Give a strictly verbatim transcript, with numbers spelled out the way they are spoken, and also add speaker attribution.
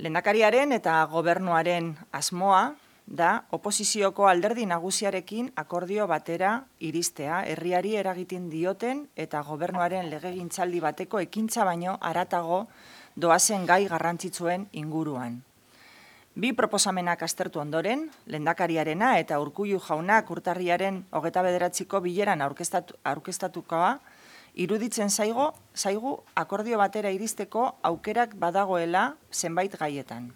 Speaker 1: Lehendakariaren eta gobernuaren asmoa da oposizioko alderdi nagusiarekin akordio batera iristea, herriari eragiten dioten eta gobernuaren legegintzaldi bateko ekintza baino haratago doazen gai garrantzitsuen inguruan. Bi proposamenak aztertu ondoren, lehendakariarena eta Urkullu jaunak urtarriaren hogeita bederatziko bileran aurkeztatukoa, iruditzen zaigu, zaigu akordio batera iristeko aukerak badagoela zenbait gaietan.